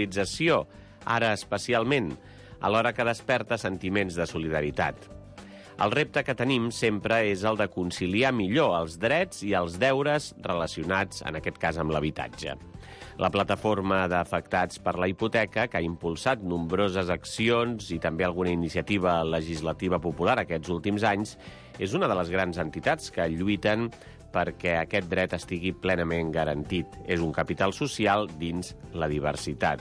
sensibilització, ara especialment, alhora que desperta sentiments de solidaritat. El repte que tenim sempre és el de conciliar millor els drets i els deures relacionats, en aquest cas, amb l'habitatge. La plataforma d'afectats per la hipoteca, que ha impulsat nombroses accions i també alguna iniciativa legislativa popular aquests últims anys, és una de les grans entitats que lluiten perquè aquest dret estigui plenament garantit. És un capital social dins la diversitat.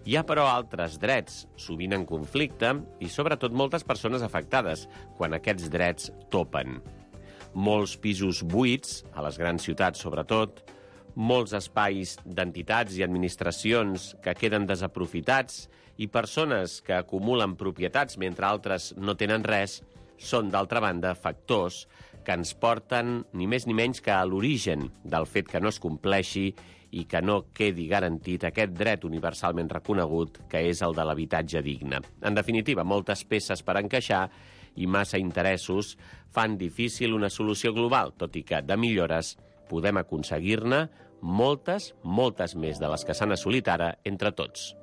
Hi ha, però, altres drets, sovint en conflicte, i sobretot moltes persones afectades, quan aquests drets topen. Molts pisos buits, a les grans ciutats sobretot, molts espais d'entitats i administracions que queden desaprofitats i persones que acumulen propietats mentre altres no tenen res, són, d'altra banda, factors que ens porten ni més ni menys que a l'origen del fet que no es compleixi i que no quedi garantit aquest dret universalment reconegut que és el de l'habitatge digne. En definitiva, moltes peces per encaixar i massa interessos fan difícil una solució global, tot i que de millores podem aconseguir-ne moltes, moltes més de les que s'han assolit ara entre tots.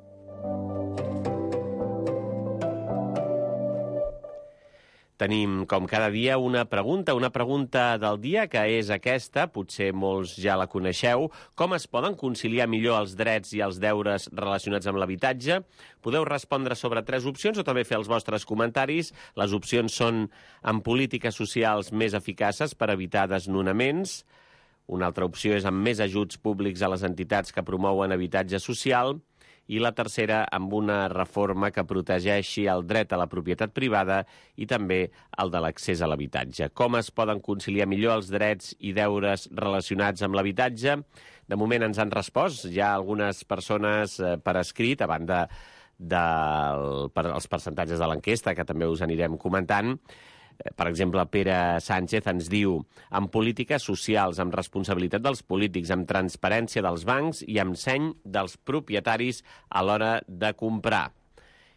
Tenim, com cada dia, una pregunta del dia, que és aquesta, potser molts ja la coneixeu. Com es poden conciliar millor els drets i els deures relacionats amb l'habitatge? Podeu respondre sobre 3 opcions o també fer els vostres comentaris. Les opcions són amb polítiques socials més eficaces per evitar desnonaments. Una altra opció és amb més ajuts públics a les entitats que promouen habitatge social. I la tercera, amb una reforma que protegeixi el dret a la propietat privada i també el de l'accés a l'habitatge. Com es poden conciliar millor els drets i deures relacionats amb l'habitatge? De moment ens han respost ja algunes persones per escrit, a banda dels percentatges de l'enquesta, que també us anirem comentant. Per exemple, Pere Sánchez ens diu: amb polítiques socials, amb responsabilitat dels polítics, amb transparència dels bancs i amb seny dels propietaris a l'hora de comprar.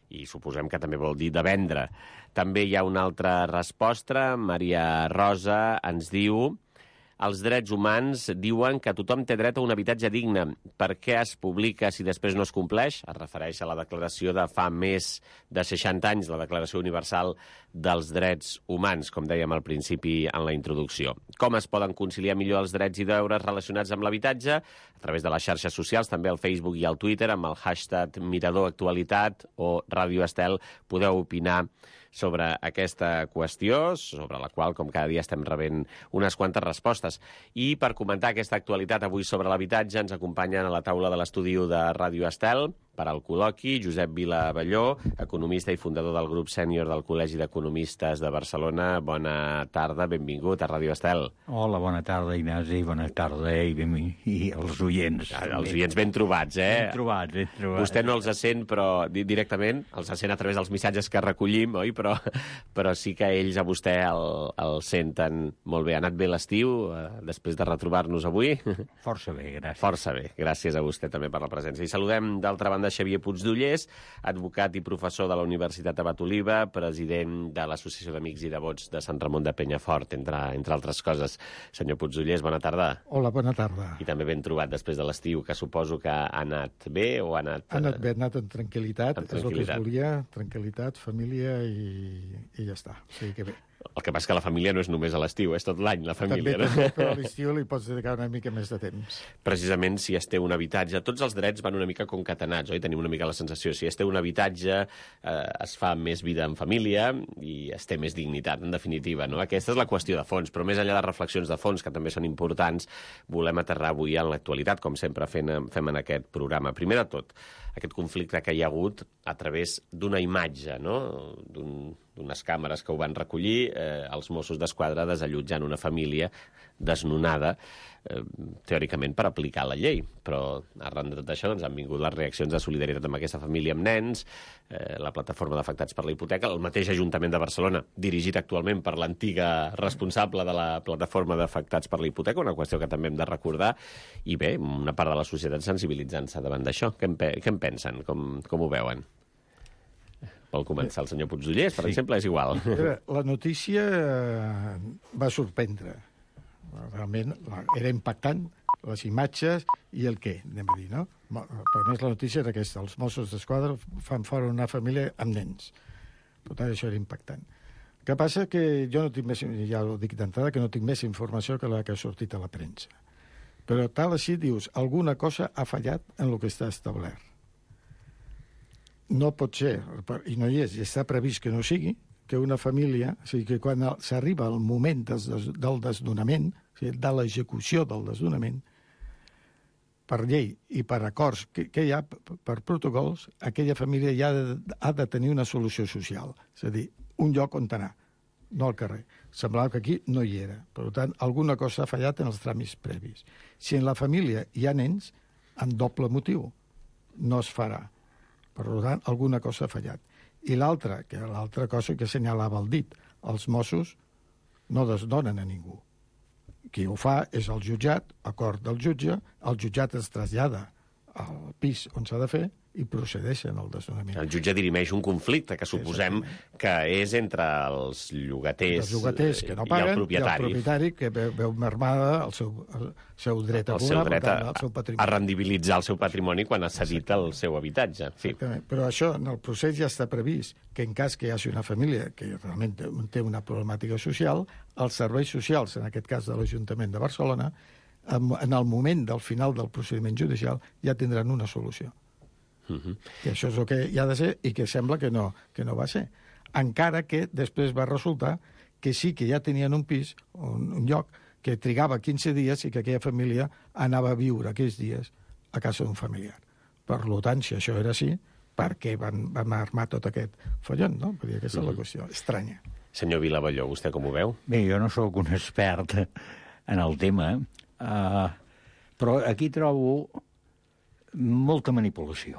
I suposem que també vol dir de vendre. També hi ha una altra resposta. Maria Rosa ens diu: els drets humans diuen que tothom té dret a un habitatge digne. Per què es publica si després no es compleix? Es refereix a la declaració de fa més de 60 anys, la Declaració Universal dels Drets Humans, com dèiem al principi en la introducció. Com es poden conciliar millor els drets i deures relacionats amb l'habitatge? A través de les xarxes socials, també al Facebook i al Twitter, amb el hashtag Mirador Actualitat o Ràdio Estel, podeu opinar sobre aquesta qüestió, sobre la qual, com cada dia, estem rebent unes quantes respostes. I per comentar aquesta actualitat avui sobre l'habitatge ens acompanyen a la taula de l'estudi de Ràdio Estel, per al col·loqui, Josep Vila Balló, economista i fundador del grup sènior del Col·legi d'Economistes de Barcelona. Bona tarda, benvingut a Ràdio Estel. Hola, bona tarda, Ignasi, bona tarda i els oients. Els oients ben trobats, Ben trobats. Vostè no els sent, però directament, els sent a través dels missatges que recollim, oi? Però sí que ells a vostè el senten molt bé. Ha anat bé l'estiu, després de retrobar-nos avui? Força bé, gràcies. Força bé, gràcies a vostè també per la presència. I saludem, d'altra banda, Xavier Puigdollers, advocat i professor de la Universitat Abat Oliva, president de l'Associació d'Amics i Devots de Sant Ramon de Penyafort, entre altres coses. Senyor Puigdollers, bona tarda. Hola, bona tarda. I també ben trobat després de l'estiu, que suposo que ha anat bé o ha anat... Ha anat bé, ha anat amb tranquil·litat, és el que es volia, tranquil·litat, família i ja està. O sigui que bé. El que passa que la família no és només a l'estiu, és tot l'any, la família. També, però a l'estiu li pots dedicar una mica més de temps. Precisament si es té un habitatge, tots els drets van una mica concatenats, oi? Tenim una mica la sensació. Si es té un habitatge, es fa més vida en família i es té més dignitat, en definitiva, no? Aquesta és la qüestió de fons, però més enllà de reflexions de fons, que també són importants, volem aterrar avui en l'actualitat, com sempre fem en aquest programa. Primer de tot, aquest conflicte que hi ha hagut a través d'una imatge, no? D'unes càmeres que ho van recollir, els Mossos d'Esquadra desallotjant una família desnonada, teòricament per aplicar la llei. Però arran de tot això han vingut les reaccions de solidaritat amb aquesta família amb nens, la plataforma d'afectats per la hipoteca, el mateix Ajuntament de Barcelona, dirigit actualment per l'antiga responsable de la plataforma d'afectats per la hipoteca, una qüestió que també hem de recordar, i bé, una part de la societat sensibilitzant-se davant d'això. Què en pensen? Com ho veuen? Vol començar el senyor Puigdollers, per exemple, és igual. La notícia va sorprendre. Realment era impactant, les imatges i el què, anem a dir, no? Per més la notícia era aquesta, els Mossos d'Esquadra fan fora una família amb nens. Per tant, això era impactant. El que passa que jo no tinc més, ja ho dic d'entrada, que no tinc més informació que la que ha sortit a la premsa. Però tal així dius, alguna cosa ha fallat en el que està establert. No pot ser, i no hi és, i està previst que no sigui, que una família, o sigui, que quan s'arriba al moment del desnonament, o sigui, de l'execució del desnonament, per llei i per acords que hi ha, per protocols, aquella família ja ha de tenir una solució social. És a dir, un lloc on anar, no al carrer. Semblava que aquí no hi era. Per tant, alguna cosa ha fallat en els tràmits previs. Si en la família hi ha nens, amb doble motiu, no es farà. Per tant, alguna cosa ha fallat. I l'altra cosa que assenyalava el dit, els Mossos no desdonen a ningú. Qui ho fa és el jutjat, acord del jutge, el jutjat es trasllada al pis on s'ha de fer i procedeixen al desnonament. El jutge dirimeix un conflicte que suposem que és entre els llogaters, que no paguen, i el propietari que veu mermada el seu dret a el seu patrimoni. A rendibilitzar el seu patrimoni quan ha cedit el seu habitatge. En fi. Exactament. Però això en el procés ja està previst que en cas que hi hagi una família que realment té una problemàtica social, els serveis socials, en aquest cas de l'Ajuntament de Barcelona, en el moment del final del procediment judicial ja tindran una solució. Que això és el que hi ha de ser i que sembla que no va ser. Encara que després va resultar que sí que ja tenien un pis, un lloc, que trigava 15 dies i que aquella família anava a viure aquells dies a casa d'un familiar. Per tant, si això era així, per què vam armar tot aquest follon, no? Vull dir, aquesta és la qüestió estranya. Senyor Vilavalló, vostè com ho veu? Bé, jo no sóc un expert en el tema, però aquí trobo molta manipulació.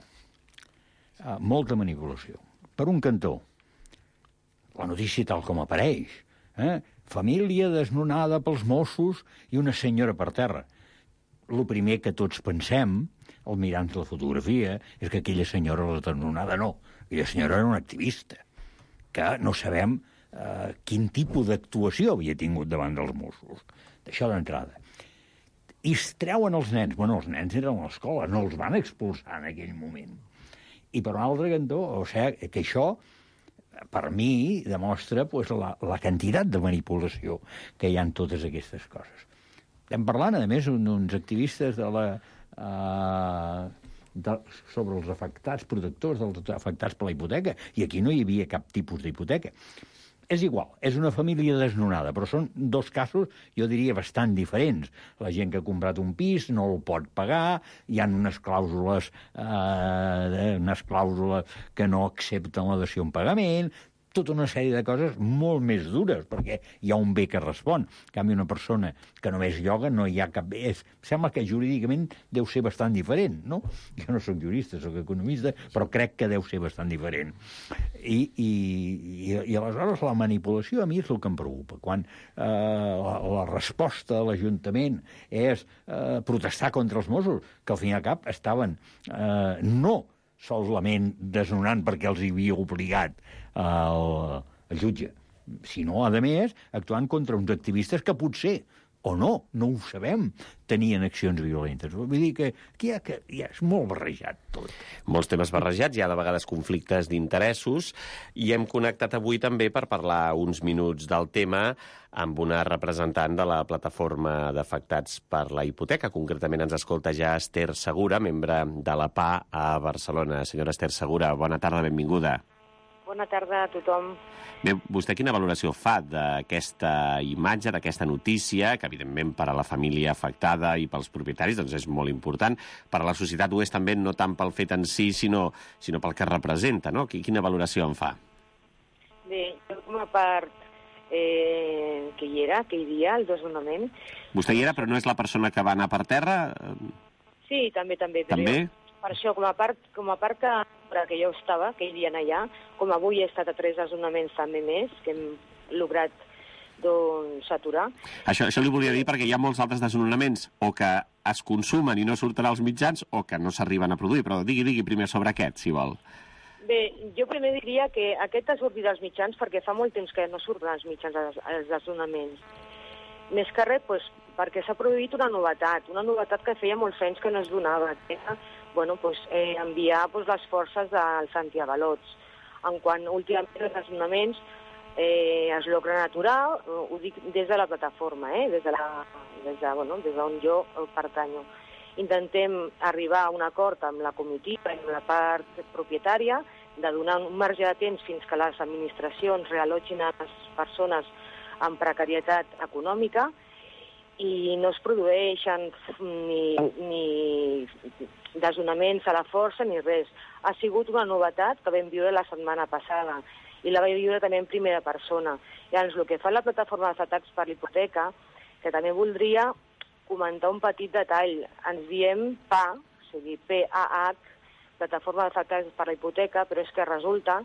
Molta manipulació. Per un cantó, la notícia tal com apareix, família desnonada pels Mossos i una senyora per terra. El primer que tots pensem, al mirar la fotografia, és que aquella senyora, la desnonada, no. Aquella senyora era una activista, que no sabem quin tipus d'actuació havia tingut davant dels Mossos. D'això d'entrada. I es treuen els nens. Bueno, els nens eren a l'escola, no els van expulsar en aquell moment. I per un altre cantó, o sigui, que això, per mi, demostra pues, la quantitat de manipulació que hi ha en totes aquestes coses. Estem parlant, a més, d'uns activistes sobre els afectats, protectors dels afectats per la hipoteca, i aquí no hi havia cap tipus d'hipoteca. És igual, és una família desnonada, però són dos casos, jo diria, bastant diferents. La gent que ha comprat un pis no el pot pagar, hi ha unes clàusules que no accepten la dació en pagament, tota una sèrie de coses molt més dures, perquè hi ha un bé que respon. En canvi, una persona que només lloga no hi ha cap bé. Sembla que jurídicament deu ser bastant diferent, no? Jo no soc jurista, soc economista, però crec que deu ser bastant diferent. I aleshores la manipulació a mi és el que em preocupa. Quan la resposta de l'Ajuntament és protestar contra els Mossos, que al fin i al cap estaven no solament desnonant perquè els hi havia obligat el jutge, sinó, a més, actuant contra uns activistes que potser, o no ho sabem, tenien accions violentes. Vull dir que aquí ja és molt barrejat tot. Molts temes barrejats, hi ha de vegades conflictes d'interessos, i hem connectat avui també per parlar uns minuts del tema amb una representant de la plataforma d'afectats per la hipoteca. Concretament ens escolta ja Esther Segura, membre de la PA a Barcelona. Senyora Esther Segura, bona tarda, benvinguda. Bona tarda a tothom. Bé, vostè quina valoració fa d'aquesta imatge, d'aquesta notícia, que evidentment per a la família afectada i pels propietaris doncs és molt important, per a la societat ho és també no tant pel fet en si, sinó pel que representa, no? Quina valoració en fa? Bé, jo com a part que hi havia, el desnonament... Vostè hi era, però no és la persona que va anar per terra? Sí, també. També? Per això, com a part que jo estava, que hi havia allà, com avui he estat a 3 desnonaments també més, que hem lograt aturar. Això li volia dir perquè hi ha molts altres desnonaments o que es consumen i no surten als mitjans o que no s'arriben a produir, però digui primer sobre aquest, si vol. Bé, jo primer diria que aquest ha sortit als mitjans perquè fa molt temps que no surten als mitjans els desnonaments. Més que res, perquè s'ha produït una novetat que feia molts anys que no es donava, que era enviar les forces dels antiavalots. En quant últimament els desnonaments es logren aturar, ho dic des de la plataforma, des d'on jo pertanyo. Intentem arribar a un acord amb la comitiva i amb la part propietària de donar un marge de temps fins que les administracions reallotgin a les persones amb precarietat econòmica i no es produeixen ni desnonaments a la força ni res. Ha sigut una novetat que vam viure la setmana passada i la vaig viure també en primera persona. Llavors, el que fa la plataforma d'afectats per l'hipoteca, que també voldria comentar un petit detall. Ens diem PAH, o sigui, PAH, plataforma d'afectats per la hipoteca, però és que resulta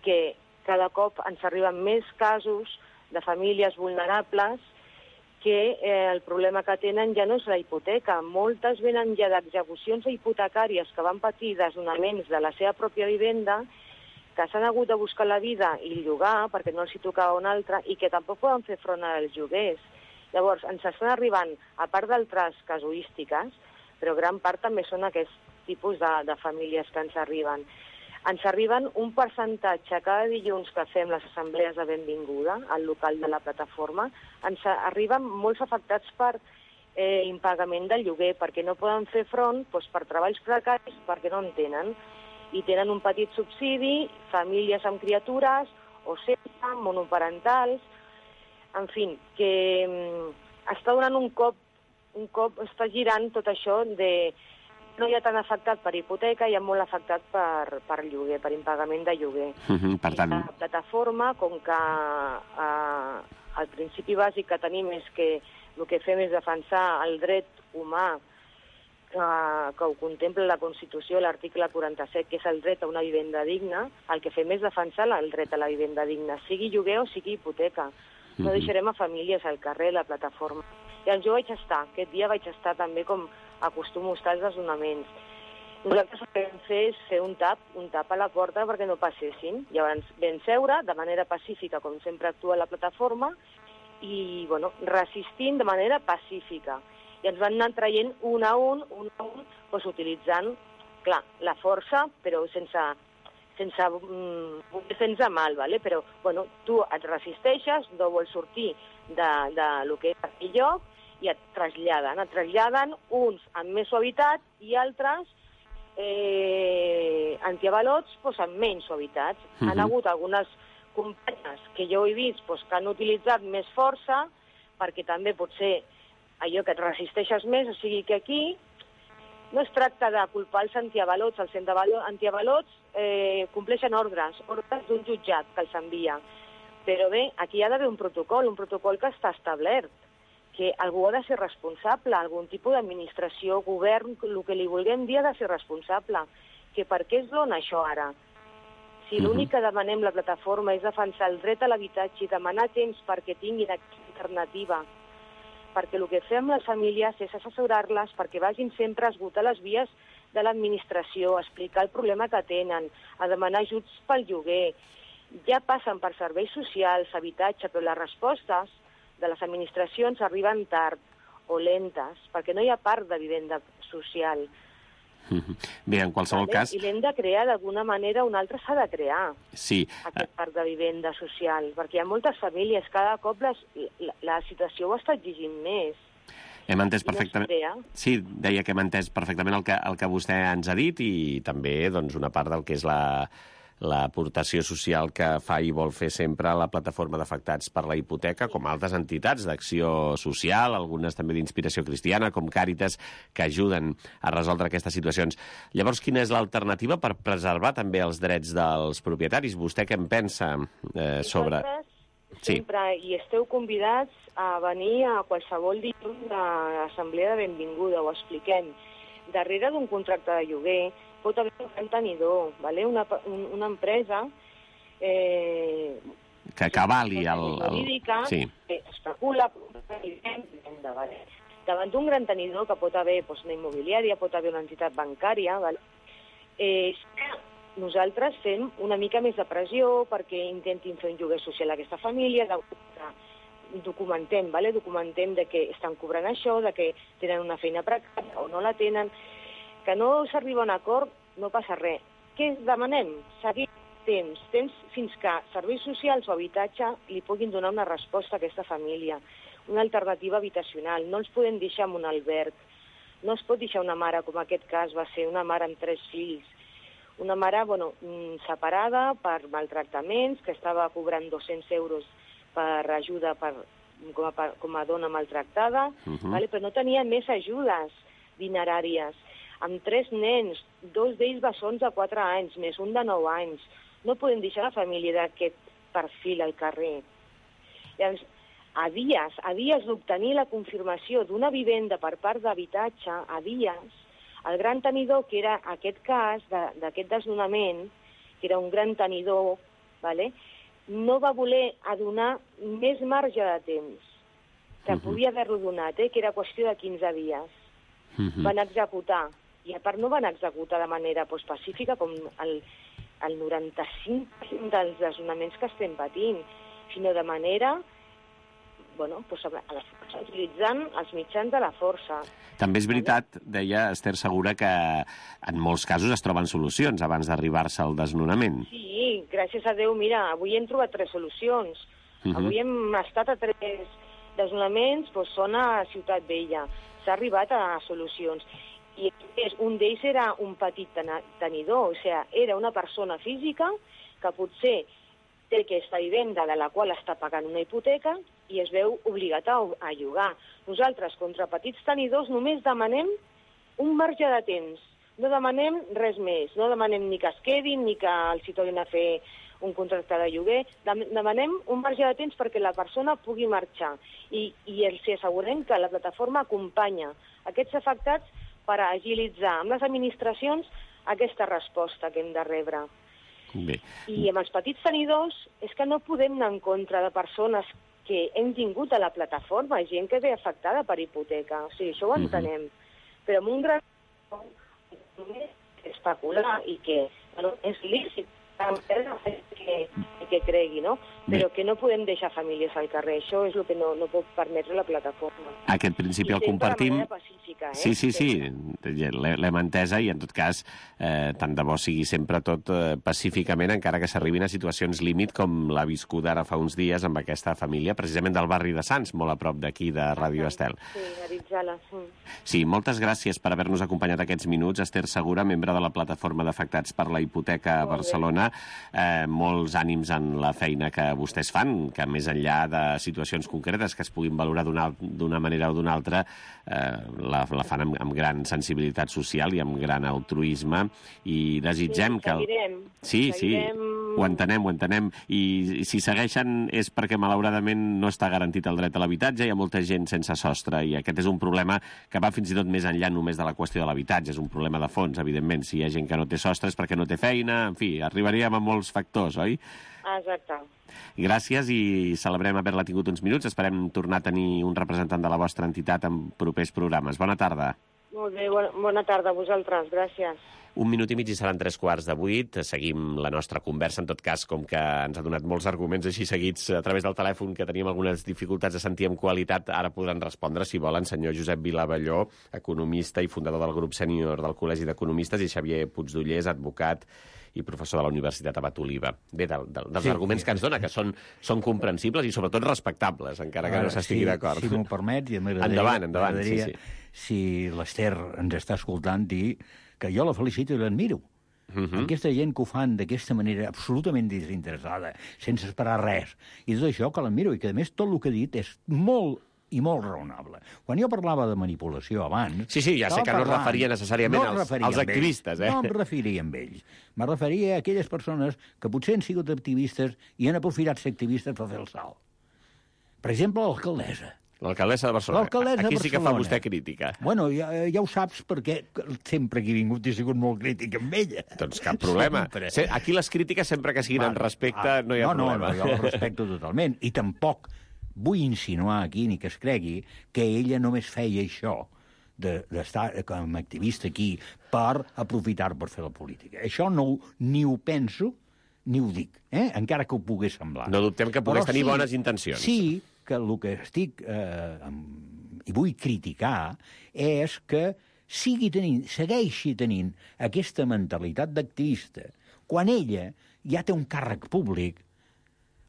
que cada cop ens arriben més casos de famílies vulnerables que el problema que tenen ja no és la hipoteca. Moltes venen ja d'execucions hipotecàries que van patir desnonaments de la seva pròpia vivenda, que s'han hagut de buscar la vida i llogar perquè no els hi tocava una altra i que tampoc poden fer front als lloguers. Llavors, ens estan arribant, a part d'altres casuístiques, però gran part també són aquests tipus de famílies que ens arriben. Ens arriben un percentatge cada dilluns que fem les assemblees de benvinguda al local de la plataforma. Ens arriben molts afectats per impagament del lloguer, perquè no poden fer front per treballs precaris, perquè no en tenen. I tenen un petit subsidi, famílies amb criatures, o sense, monoparentals. En fi, que està donant un cop, està girant tot això de no hi ha tant afectat per hipoteca, hi ha molt afectat per lloguer, per impagament de lloguer. Per tant... La plataforma, com que el principi bàsic que tenim és que el que fem és defensar el dret humà que ho contempla la Constitució, l'article 47, que és el dret a una vivenda digna, el que fem és defensar el dret a la vivenda digna, sigui lloguer o sigui hipoteca. No deixarem a famílies al carrer, la plataforma. I jo aquest dia vaig estar també com acostumo a estar als desnonaments. Nosaltres el que vam fer és fer un tap a la porta perquè no passessin. Llavors vam seure de manera pacífica, com sempre actua la plataforma, i resistint de manera pacífica. I ens van anar traient un a un, utilitzant, clar, la força, però sense fer-nos mal, ¿vale? Però tu et resisteixes, no vols sortir del que és aquell lloc, i et traslladen uns amb més suavitat i altres antiavalots amb menys suavitat. Han hagut algunes companyes que jo he vist que han utilitzat més força, perquè també pot ser allò que et resisteixes més, o sigui que aquí no es tracta de culpar els antiavalots. Els antiavalots compleixen ordres d'un jutjat que els envia. Però bé, aquí ha d'haver un protocol que està establert, que algú ha de ser responsable, algun tipus d'administració, govern, el que li vulguem dir ha de ser responsable. Que per què es dona això ara? Si l'únic que demanem la plataforma és defensar el dret a l'habitatge i demanar temps perquè tinguin alternativa, perquè el que fem les famílies és assessorar-les perquè vagin sempre a esgotar les vies de l'administració, a explicar el problema que tenen, a demanar ajuts pel lloguer. Ja passen per serveis socials, habitatge, però les respostes de les administracions arriben tard o lentes, perquè no hi ha parc de vivenda social. Bé, en qualsevol cas... I l'hem de crear d'alguna manera, un altre s'ha de crear, sí. Aquest parc de vivenda social, perquè hi ha moltes famílies, cada cop la situació ho està exigint més. Hem entès perfectament... Sí, deia que hem entès perfectament el que vostè ens ha dit i també una part del que és l'aportació social que fa i vol fer sempre la plataforma d'afectats per la hipoteca, com altres entitats d'acció social, algunes també d'inspiració cristiana, com Càritas, que ajuden a resoldre aquestes situacions. Llavors, quina és l'alternativa per preservar també els drets dels propietaris? Vostè què en pensa sobre... Sempre hi esteu convidats a venir a qualsevol dilluns a l'assemblea de benvinguda, ho expliquem. Darrere d'un contracte de lloguer pot haver un gran tenidor, ¿vale? Una empresa que avali jurídica que especula ¿vale? Davant d'un gran tenidor que pot haver una immobiliària, pot haver una entitat bancària, ¿vale? Nosaltres fem una mica més de pressió perquè intentin fer un lloguer social a aquesta família, documentem, ¿vale? Documentem de que estan cobrant això, de que tenen una feina precària o no la tenen. Que no s'arriba a un acord, no passa res. Què demanem? Seguir temps fins que serveis socials o habitatge li puguin donar una resposta a aquesta família, una alternativa habitacional. No els podem deixar en un alberg. No es pot deixar una mare, com aquest cas va ser, una mare amb 3 fills. Una mare, separada per maltractaments, que estava cobrant 200 euros per ajuda com a dona maltractada, vale? Però no tenia més ajudes dineràries. Amb 3 nens, 2 d'ells bessons de 4 anys, més un de 9 anys. No podem deixar la família d'aquest perfil al carrer. Llavors, a dies d'obtenir la confirmació d'una vivenda per part d'habitatge, a dies, el gran tenidor, que era aquest cas d'aquest desnonament, que era un gran tenidor, vale? No va voler donar més marge de temps, que podia haver-lo donat, que era qüestió de 15 dies. Van executar, i a part no van executar de manera pacífica, com el 95% dels desnonaments que estem patint, sinó de manera utilitzant els mitjans de la força. També és veritat, deia Esther Segura, que en molts casos es troben solucions abans d'arribar-se al desnonament. Sí, gràcies a Déu, mira, avui hem trobat 3 solucions. Avui hem estat a 3 desnonaments, són a Ciutat Vella. S'ha arribat a solucions. I un d'ells era un petit tenidor, o sigui, era una persona física que potser té aquesta vivenda de la qual està pagant una hipoteca i es veu obligat a llogar. Nosaltres, contra petits tenidors, només demanem un marge de temps. No demanem res més. No demanem ni que es quedin, ni que els hi tornin a fer un contracte de lloguer. Demanem un marge de temps perquè la persona pugui marxar. I els assegurem que la plataforma acompanya aquests afectats per agilitzar amb les administracions aquesta resposta que hem de rebre. Bé. I amb els petits tenidors és que no podem anar en contra de persones que hem tingut a la plataforma, gent que ve afectada per hipoteca. O sigui, això ho entenem. Però amb un gran especular i que és lícit que cregui, no? Però que no podem deixar famílies al carrer. Això és el que no pot permetre la plataforma. Aquest principi el compartim. Sí, l'hem entesa i, en tot cas, tant de bo sigui sempre tot pacíficament, encara que s'arribin a situacions límit, com l'ha viscut ara fa uns dies amb aquesta família, precisament del barri de Sants, molt a prop d'aquí, de Ràdio Estel. Sí, Aritzala. Sí, moltes gràcies per haver-nos acompanyat aquests minuts. Esther Segura, membre de la plataforma d'afectats per la hipoteca a Barcelona. Molts ànims en la feina que vostès fan, que més enllà de situacions concretes que es puguin valorar d'una manera o d'una altra, la fan amb gran sensibilitat social i amb gran altruisme, i desitgem que... Sí, ho entenem. I si segueixen és perquè, malauradament, no està garantit el dret a l'habitatge, hi ha molta gent sense sostre, i aquest és un problema que va fins i tot més enllà només de la qüestió de l'habitatge. És un problema de fons, evidentment. Si hi ha gent que no té sostre és perquè no té feina, en fi, arribaríem a molts factors, oi? Exacte. Gràcies i celebrem haver-la tingut uns minuts. Esperem tornar a tenir un representant de la vostra entitat en propers programes. Bona tarda. Molt bé, bona tarda a vosaltres. Gràcies. 1 minut i mig i seran 7:45. Seguim la nostra conversa, en tot cas, com que ens ha donat molts arguments així seguits a través del telèfon, que teníem algunes dificultats de sentir amb qualitat. Ara podran respondre, si volen, senyor Josep Vilavelló, economista i fundador del grup sènior del Col·legi d'Economistes, i Xavier Puigdollers, advocat i professor de la Universitat Abat Oliva. Bé, dels arguments que ens dona, que són comprensibles i sobretot respectables, encara que no s'estigui d'acord. Si m'ho permet, i endavant, sí. Si l'Ester ens està escoltant, dir que jo la felicito i l'admiro. Aquesta gent que ho fan d'aquesta manera absolutament desinteressada, sense esperar res, i tot això que l'admiro, i que a més tot el que ha dit és molt raonable. Quan jo parlava de manipulació abans... Sí, ja sé que no es referia necessàriament als activistes, No em referia a ells. Me referia a aquelles persones que potser han sigut activistes i han aprofitat ser activistes per fer el salt. Per exemple, l'alcaldessa. L'alcaldessa de Barcelona. Aquí sí que fa vostè crítica. Bueno, ja ho saps, perquè sempre que he vingut he sigut molt crític amb ella. Doncs cap problema. Aquí les crítiques, sempre que siguin en respecte, no hi ha problema. No, jo el respecto totalment. I tampoc vull insinuar aquí, ni que es cregui, que ella només feia això, d'estar com a activista aquí, per aprofitar per fer la política. Això ni ho penso, ni ho dic, encara que ho pogués semblar. No dubtem que pogués tenir bones intencions. Sí, que el que estic i vull criticar és que segueixi tenint aquesta mentalitat d'activista quan ella ja té un càrrec públic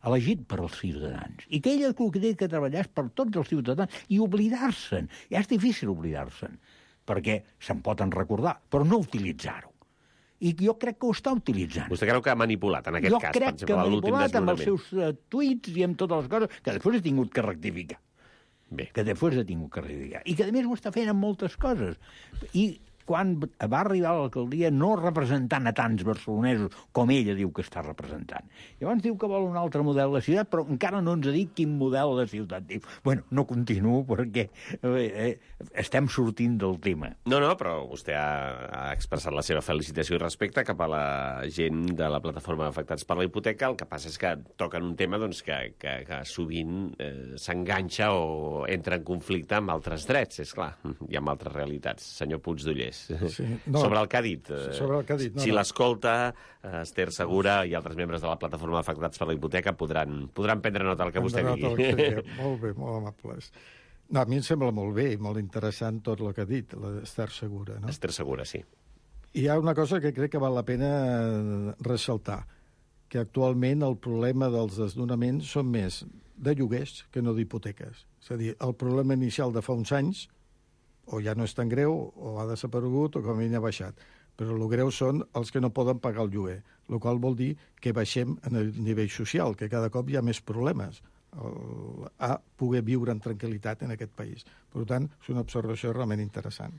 elegit per als ciutadans. I que ella el que té que treballar és per tots els ciutadans i oblidar-se'n. Ja és difícil oblidar-se'n, perquè se'n poden recordar, però no utilitzar-ho. I jo crec que ho està utilitzant. Vostè creu que ha manipulat, en aquest cas, per exemple, Jo crec que ha l'últim manipulat amb els desnonament? seus tuits i amb totes les coses, que després ha tingut que rectificar. Bé. Que després ha tingut que rectificar. I que, a més, ho està fent amb moltes coses. I quan va arribar a l'alcaldia no representant a tants barcelonesos com ella diu que està representant. Llavors diu que vol un altre model de ciutat, però encara no ens ha dit quin model de ciutat. Diu, bueno, no continuo perquè estem sortint del tema. No, però vostè ha expressat la seva felicitació i respecte cap a la gent de la plataforma d'afectats per la hipoteca. El que passa és que toquen un tema doncs, que sovint s'enganxa o entra en conflicte amb altres drets, és clar, i amb altres realitats. Senyor Puigdollers, sí, no, sobre el que ha dit. Sobre el que ha dit, si l'escolta, Esther Segura i altres membres de la plataforma d'afectats per la hipoteca podran prendre nota del que vostè digui. Molt bé, molt amables. No, a mi em sembla molt bé i molt interessant tot el que ha dit, l'Esther Segura. No? Esther Segura, sí. Hi ha una cosa que crec que val la pena ressaltar, que actualment el problema dels desnonaments són més de lloguers que no d'hipoteques. És a dir, el problema inicial de fa uns anys o ja no és tan greu, o ha desaparegut, o com a mínim ha baixat. Però el greu són els que no poden pagar el lloguer, el qual vol dir que baixem en el nivell social, que cada cop hi ha més problemes a poder viure en tranquil·litat en aquest país. Per tant, és una observació realment interessant.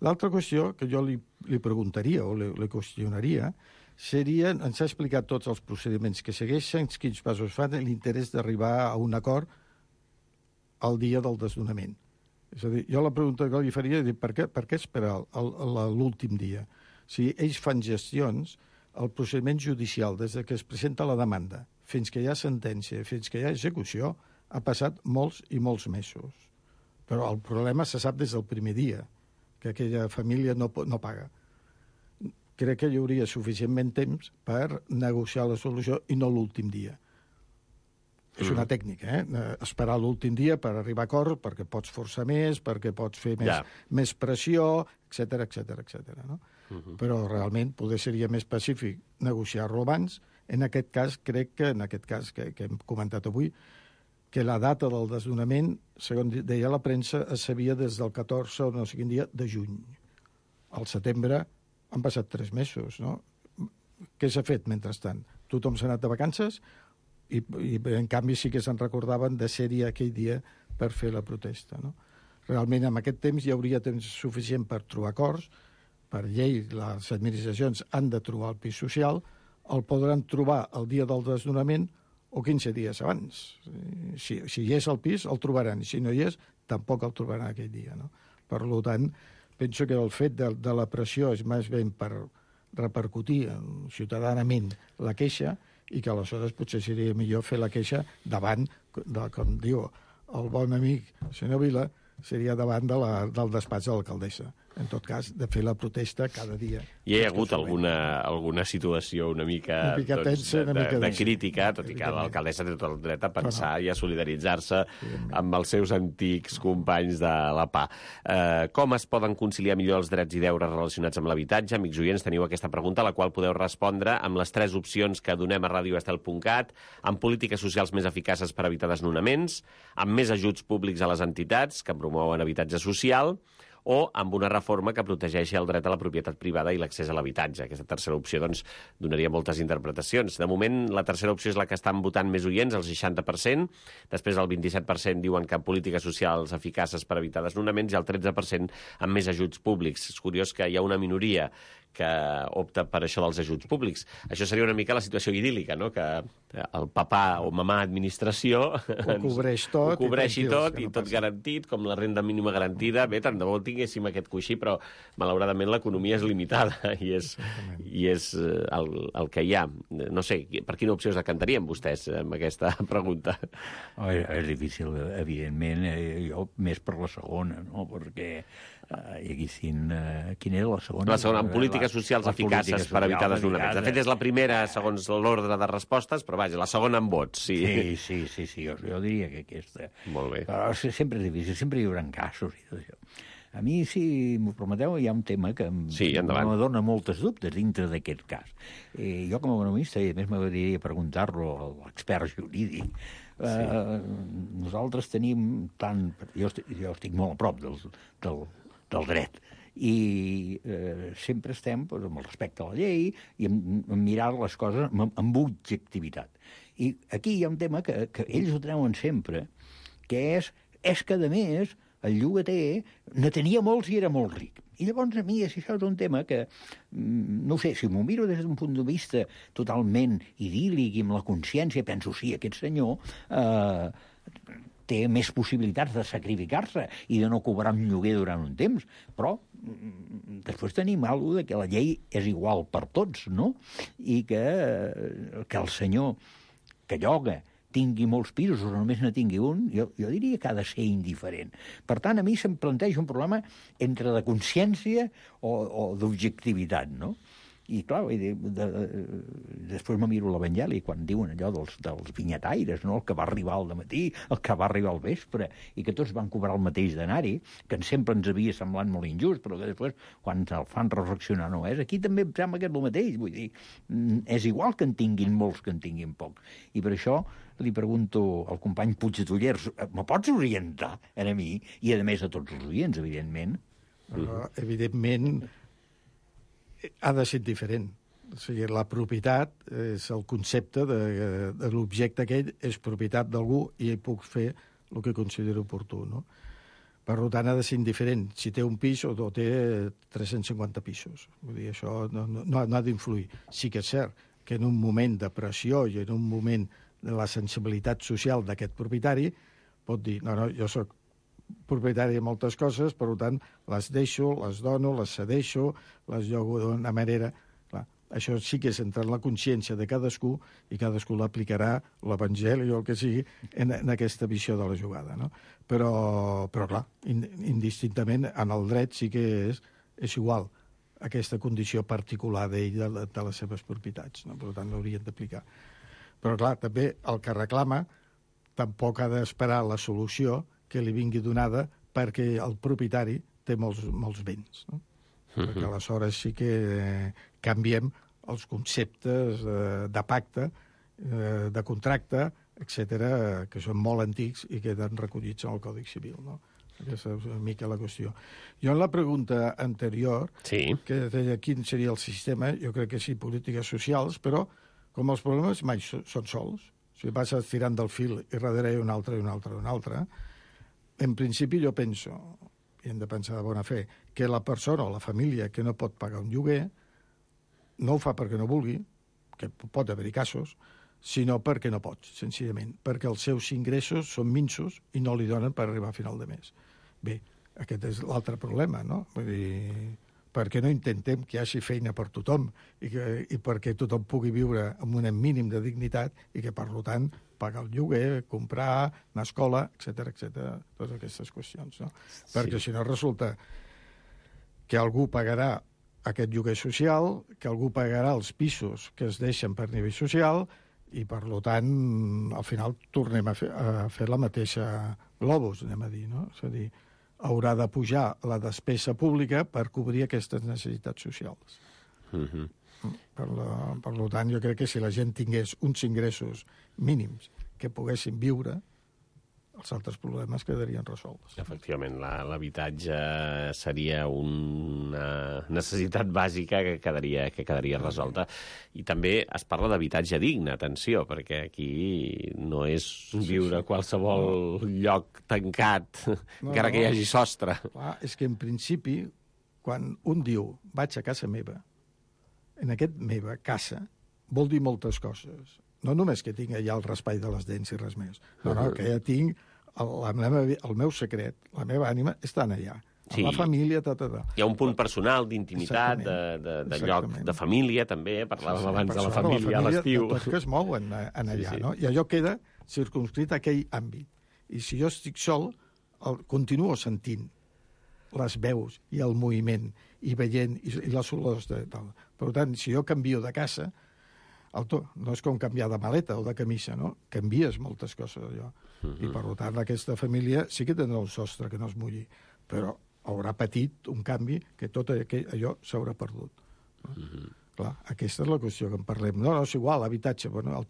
L'altra qüestió que jo li preguntaria o li qüestionaria seria, ens ha explicat tots els procediments que segueixen, quins passos fan, l'interès d'arribar a un acord el dia del desnonament. És a dir, jo la pregunta que li faria és per què esperar l'últim dia? Si ells fan gestions, el procediment judicial, des que es presenta la demanda, fins que hi ha sentència, fins que hi ha execució, ha passat molts i molts mesos. Però el problema se sap des del primer dia, que aquella família no paga. Crec que hi hauria suficientment temps per negociar la solució i no l'últim dia. És una tècnica, esperar l'últim dia per arribar a acord, perquè pots forçar més, perquè pots fer més pressió, etc. No? Però realment poder seria més pacífic negociar-lo abans. En aquest cas, crec que que hem comentat avui, que la data del desnonament, segons deia la premsa, es sabia des del 14 o no sé quin dia de juny. Al setembre han passat 3 mesos, no? Què s'ha fet mentrestant? Tothom s'ha anat de vacances i en canvi sí que se'n recordaven de ser-hi aquell dia per fer la protesta. No? Realment, en aquest temps hi hauria temps suficient per trobar acords. Per llei, les administracions han de trobar el pis social, el podran trobar el dia del desnonament o 15 dies abans. Si hi és el pis, el trobaran. Si no hi és, tampoc el trobaran aquell dia. No? Per tant, penso que el fet de la pressió és més ben per repercutir ciutadανament la queixa i que aleshores potser seria millor fer la queixa davant, com diu el bon amic senyor Vila, seria davant del despatx de l'alcaldessa. En tot cas, de fer la protesta cada dia. Hi ha hagut alguna situació una mica tensa, de crítica, tot i que l'alcaldessa té tot el dret a pensar i a solidaritzar-se amb els seus antics companys de la PA. Com es poden conciliar millor els drets i deures relacionats amb l'habitatge? Amics oients, teniu aquesta pregunta, a la qual podeu respondre amb les 3 opcions que donem a radioestel.cat, amb polítiques socials més eficaces per evitar desnonaments, amb més ajuts públics a les entitats que promouen habitatge social, o amb una reforma que protegeixi el dret a la propietat privada i l'accés a l'habitatge. Aquesta tercera opció doncs, donaria moltes interpretacions. De moment, la tercera opció és la que estan votant més oients, el 60%. Després, el 27% diuen que polítiques socials eficaces per evitar desnonaments i el 13% amb més ajuts públics. És curiós que hi ha una minoria que opta per això dels ajuts públics. Això seria una mica la situació idíl·lica, no? Que el papà o mamà administració ho cobreixi tot i tot garantit, com la renda mínima garantida. Bé, tant de bo tinguéssim aquest coixí, però malauradament l'economia és limitada i és el que hi ha. No sé, per quina opció es decantarien vostès amb aquesta pregunta? És difícil, evidentment, jo més per la segona, no? Perquè hi haguessin... Quina era la segona? La segona, en polítiques socials eficaces per evitar desnonaments. De fet, és la primera, segons l'ordre de respostes, però vaja, la segona en vots, sí. Sí, jo diria que aquesta... Molt bé. Però sempre és difícil, sempre hi haurà casos i tot això. A mi, si m'ho prometeu, hi ha un tema que me dona moltes dubtes dintre d'aquest cas. Jo, com a economista, i a més m'agradaria preguntar-lo a l'expert jurídic, nosaltres tenim tant... Jo estic molt a prop del dret, i sempre estem amb el respecte a la llei i en mirar les coses amb objectivitat. I aquí hi ha un tema que ells ho treuen sempre, que és que, a més, el llogater ne tenia molts i era molt ric. I llavors a mi això és un tema que, no sé, si m'ho miro des d'un punt de vista totalment idíl·lic i amb la consciència, penso, sí, aquest senyor té més possibilitats de sacrificar-se i de no cobrar un lloguer durant un temps, però després tenim alguna cosa que la llei és igual per tots, no? I que el senyor que lloga tingui molts pisos o només ne tingui un, jo diria que ha de ser indiferent. Per tant, a mi se'm planteja un problema entre de consciència o d'objectivitat, no? I, clar, després me miro l'Evangeli quan diuen allò dels vinyataires, no? El que va arribar al dematí, el que va arribar al vespre, i que tots van cobrar el mateix denari, que sempre ens havia semblat molt injust, però que després, quan el fan reflexionar, no és. Aquí també em sembla que és el mateix, vull dir, és igual que en tinguin molts que en tinguin poc. I per això li pregunto al company Puig de Tullers, me pots orientar a mi, i a més a tots els oients, evidentment? Evidentment, ha de ser diferent. O sigui, la propietat és el concepte de l'objecte aquell, és propietat d'algú i puc fer el que considero oportú, no? Per tant, ha de ser indiferent si té un pis o té 350 pisos. Vull dir, això no ha d'influir. Sí que és cert que en un moment de pressió i en un moment de la sensibilitat social d'aquest propietari pot dir, no, jo sóc propietari de moltes coses, per tant, les deixo, les dono, les cedeixo, les llogo d'una manera... Clar, això sí que és entrar en la consciència de cadascú i cadascú l'aplicarà, l'evangeli o el que sigui, en aquesta visió de la jugada, no? Però clar, indistintament, en el dret sí que és igual aquesta condició particular d'ell, de les seves propietats, no? Per tant, l'haurien d'aplicar. Però clar, també el que reclama tampoc ha d'esperar la solució que li vingui donada perquè el propietari té molts béns, no? Perquè aleshores sí que canviem els conceptes de pacte, de contracte, etc, que són molt antics i queden recollits en el Codi Civil, no? Aquesta és una mica la qüestió. Jo en la pregunta anterior, que deia quin seria el sistema, jo crec que sí, polítiques socials, però com els problemes mai són sols, si vas estirant del fil i darrere un altre, i un altre, i un altre, en principi jo penso, i hem de pensar de bona fe, que la persona o la família que no pot pagar un lloguer no ho fa perquè no vulgui, que pot haver-hi casos, sinó perquè no pot, senzillament, perquè els seus ingressos són minsos i no li donen per arribar a final de mes. Bé, aquest és l'altre problema, no? Vull dir, per què no intentem que hi hagi feina per tothom i perquè tothom pugui viure amb un mínim de dignitat i que, per tant, pagar el lloguer, comprar, anar a escola, etc, totes aquestes qüestions, no? Sí. Perquè si no resulta que algú pagarà aquest lloguer social, que algú pagarà els pisos que es deixen per nivell social i, per tant, al final tornem a fer la mateixa globus, anem a dir, no? És a dir, haurà de pujar la despesa pública per cobrir aquestes necessitats socials. Per tant, jo crec que si la gent tingués uns ingressos mínims que poguessin viure, els altres problemes quedarien resolts. Efectivament, l'habitatge seria una necessitat bàsica que quedaria resolta. I també es parla d'habitatge digne, atenció, perquè aquí no és viure a qualsevol lloc tancat, encara que hi hagi sostre. Clar, és que en principi, quan un diu vaig a casa meva, en aquest meva casa vol dir moltes coses. No només que tinc allà el raspall de les dents i res més. No, que ja tinc el meu secret, la meva ànima, estan allà. Sí. La família, Hi ha un punt personal, d'intimitat, de lloc, de família, també. Parlàvem abans de la família a l'estiu. Tots que es mouen allà, no? I allò queda circumscrit a aquell àmbit. I si jo estic sol, continuo sentint. les veus i el moviment i veient i les olors de tal. Per tant, si jo canvio de casa, no és com canviar de maleta o de camisa, no? Canvies moltes coses, allò. I, per tant, aquesta família sí que tindrà un sostre que no es mulli, però haurà patit un canvi que tot allò s'haurà perdut. Clar, aquesta és la qüestió que en parlem. No, és igual, l'habitatge, bueno,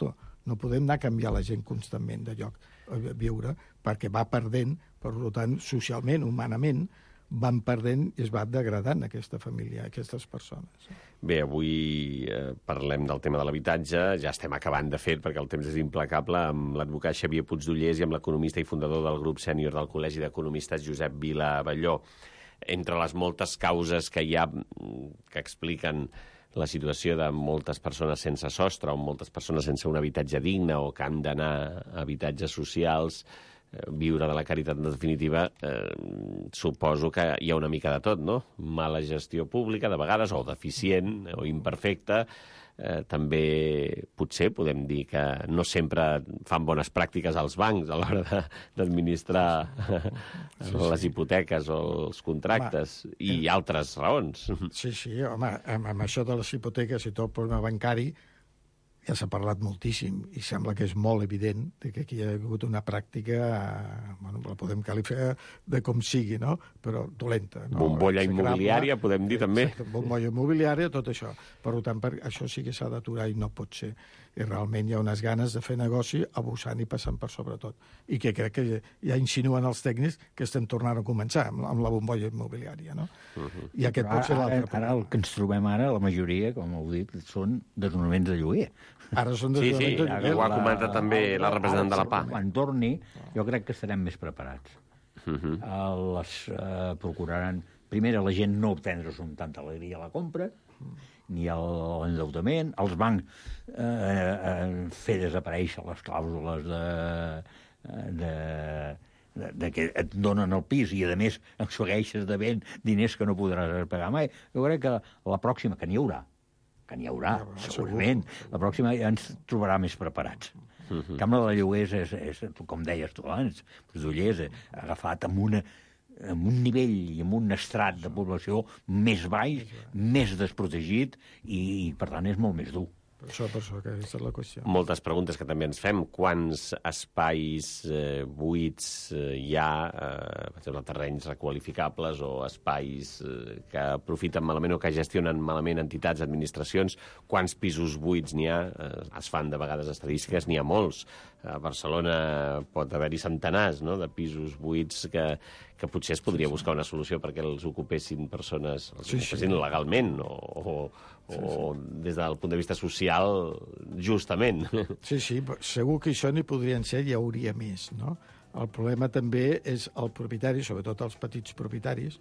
no podem anar a canviar la gent constantment de lloc a viure, perquè va perdent, per tant, socialment, humanament, van perdent i es va degradant aquesta família, aquestes persones. Bé, avui parlem del tema de l'habitatge, ja estem acabant de fer, perquè el temps és implacable, amb l'advocat Xavier Puigdollers i amb l'economista i fundador del grup sènior del Col·legi d'Economistes, Josep Vila Abelló. Entre les moltes causes que hi ha que expliquen la situació de moltes persones sense sostre o moltes persones sense un habitatge digne o que han d'anar a habitatges socials, viure de la caritat en definitiva, suposo que hi ha una mica de tot, no? Mala gestió pública, de vegades, o deficient, o imperfecta. També potser podem dir que no sempre fan bones pràctiques als bancs a l'hora d'administrar les hipoteques o els contractes i altres raons. Sí, home, amb això de les hipoteques i tot el problema bancari ja s'ha parlat moltíssim i sembla que és molt evident que aquí hi ha hagut una pràctica, bueno, la podem qualificar de com sigui, no? Però dolenta. No? Bombolla immobiliària, podem dir també. Exacte, bombolla immobiliària, tot això. Per tant, això sí que s'ha d'aturar i no pot ser. I realment hi ha unes ganes de fer negoci abusant i passant per sobretot. I que crec que ja insinuen els tècnics que estem tornant a començar amb la bombolla immobiliària, no? I aquest pot ser l'altre. Ara el que ens trobem ara, la majoria, com heu dit, són desnonaments de lloguer. Ara són desnonaments de lloguer. Ho ha comentat també la representant de la PA. Quan torni, jo crec que estarem més preparats. Les procuraran... Primer, la gent no obtindre amb tanta alegria la compra, ni l'endeutament, els bancs fer desaparèixer les clàusules de que et donen el pis i, a més, segueixes devent diners que no podràs pagar mai. Jo crec que la pròxima, que n'hi haurà, segurament, la pròxima ja ens trobarà més preparats. El camp de la lloguers és, com deies tu abans, Puigdollers, agafat amb un nivell i amb un estrat de població més baix, més desprotegit i, per tant, és molt més dur. Per això, que aquesta és la qüestió. Moltes preguntes que també ens fem. Quants espais buits hi ha, per exemple, terrenys requalificables o espais que aprofiten malament o que gestionen malament entitats, administracions? Quants pisos buits n'hi ha? Es fan de vegades estadístiques, n'hi ha molts. A Barcelona pot haver-hi centenars, no?, de pisos buits que potser es podria buscar una solució perquè els ocupessin persones, els ocupessin legalment o des del punt de vista social, justament. Sí, segur que això n'hi podrien ser, hi hauria més, no? El problema també és el propietari, sobretot els petits propietaris,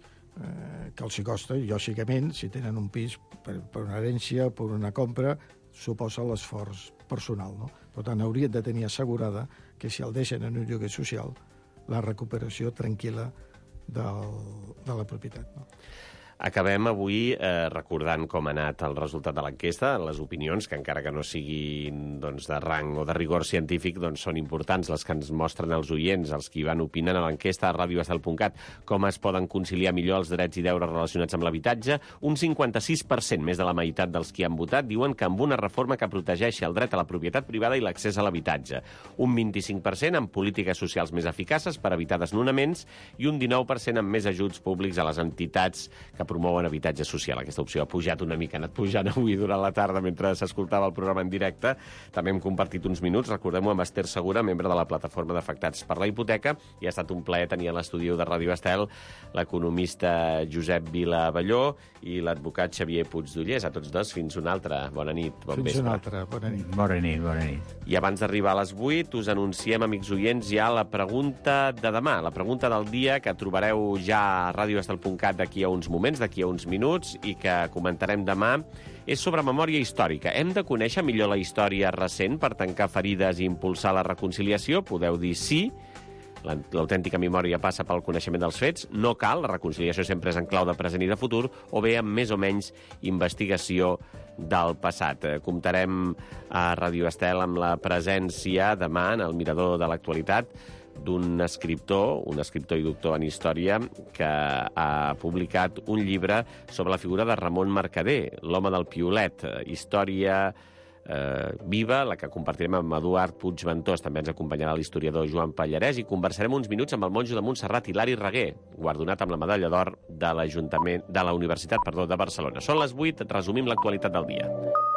que els hi costa, i lògicament, si tenen un pis per una herència, per una compra, suposa l'esforç personal, no? Per tant, haurien de tenir assegurada que si el deixen en un lloguer social, la recuperació tranquil·la de la propietat, no? Acabem avui recordant com ha anat el resultat de l'enquesta. Les opinions, que encara que no siguin doncs, de rang o de rigor científic, doncs, són importants, les que ens mostren els oients, els que van opinant a l'enquesta a radioestel.cat, com es poden conciliar millor els drets i deures relacionats amb l'habitatge. Un 56%, més de la meitat dels que han votat, diuen que amb una reforma que protegeixi el dret a la propietat privada i l'accés a l'habitatge. Un 25% amb polítiques socials més eficaces per evitar desnonaments i un 19% amb més ajuts públics a les entitats que promouen habitatge social. Aquesta opció ha pujat una mica, ha anat pujant avui durant la tarda mentre s'escoltava el programa en directe. També hem compartit uns minuts, recordem-ho, amb Esther Segura, membre de la plataforma d'afectats per la hipoteca, i ha estat un plaer tenir a l'estudi de Ràdio Estel l'economista Josep Vila Abelló i l'advocat Xavier Puigdollers. A tots dos, fins una altra. Bona nit, bon vespre. Fins una altra, bona nit. Bona nit. I abans d'arribar a les 8, us anunciem, amics oients, ja la pregunta de demà, la pregunta del dia, que trobareu ja a radioestel.cat d'aquí a uns moments, d'aquí a uns minuts, i que comentarem demà, és sobre memòria històrica. Hem de conèixer millor la història recent per tancar ferides i impulsar la reconciliació? Podeu dir sí. L'autèntica memòria passa pel coneixement dels fets. No cal, la reconciliació sempre és en clau de present i de futur, o bé amb més o menys investigació del passat. Comptarem a Radio Estel amb la presència demà en el Mirador de l'Actualitat d'un escriptor, un escriptor i doctor en història, que ha publicat un llibre sobre la figura de Ramon Mercader, l'home del piolet, història viva, la que compartirem amb Eduard Puigventós. També ens acompanyarà l'historiador Joan Pallarès i conversarem uns minuts amb el monjo de Montserrat, Hilari Reguer, guardonat amb la medalla d'or de la Universitat de Barcelona. Són les 8, resumim l'actualitat del dia.